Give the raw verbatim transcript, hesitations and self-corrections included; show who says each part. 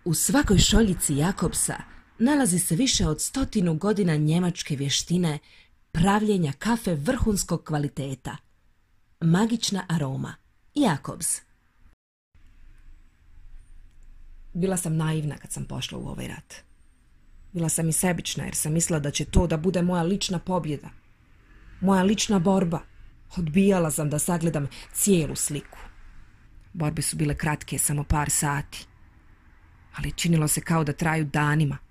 Speaker 1: U svakoj šoljici Jakobsa nalazi se više od stotinu godina njemačke vještine pravljenja kafe vrhunskog kvaliteta. Magična aroma. Jakobs. Bila sam naivna kad sam pošla u ovaj rat. Bila sam i sebična jer sam mislila da će to da bude moja lična pobjeda. Moja lična borba. Odbijala sam da sagledam cijelu sliku. Borbe su bile kratke, samo par sati. Ali činilo se kao da traju danima.